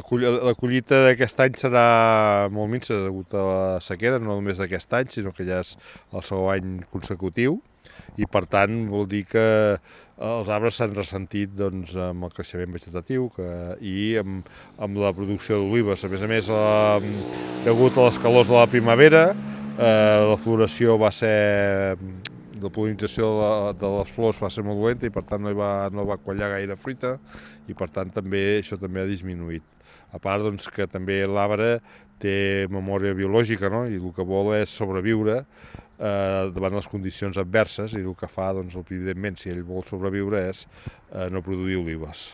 La collita d'aquest any serà molt minsa degut a la sequera, no només d'aquest any, sinó que ja és el segon any consecutiu i per tant vol dir que els arbres s'han ressentit doncs, amb el creixement vegetatiu i amb la producció d'olives. A més, degut a les calors de la primavera, la floració va ser la pol·linització de les flors va ser molt dolenta i per tant no va quallar gaire fruita i per tant això també ha disminuït. A part doncs, que també l'arbre té memòria biològica, no? I el que vol és sobreviure davant les condicions adverses i el que fa, doncs, evidentment, si ell vol sobreviure és no produir olives.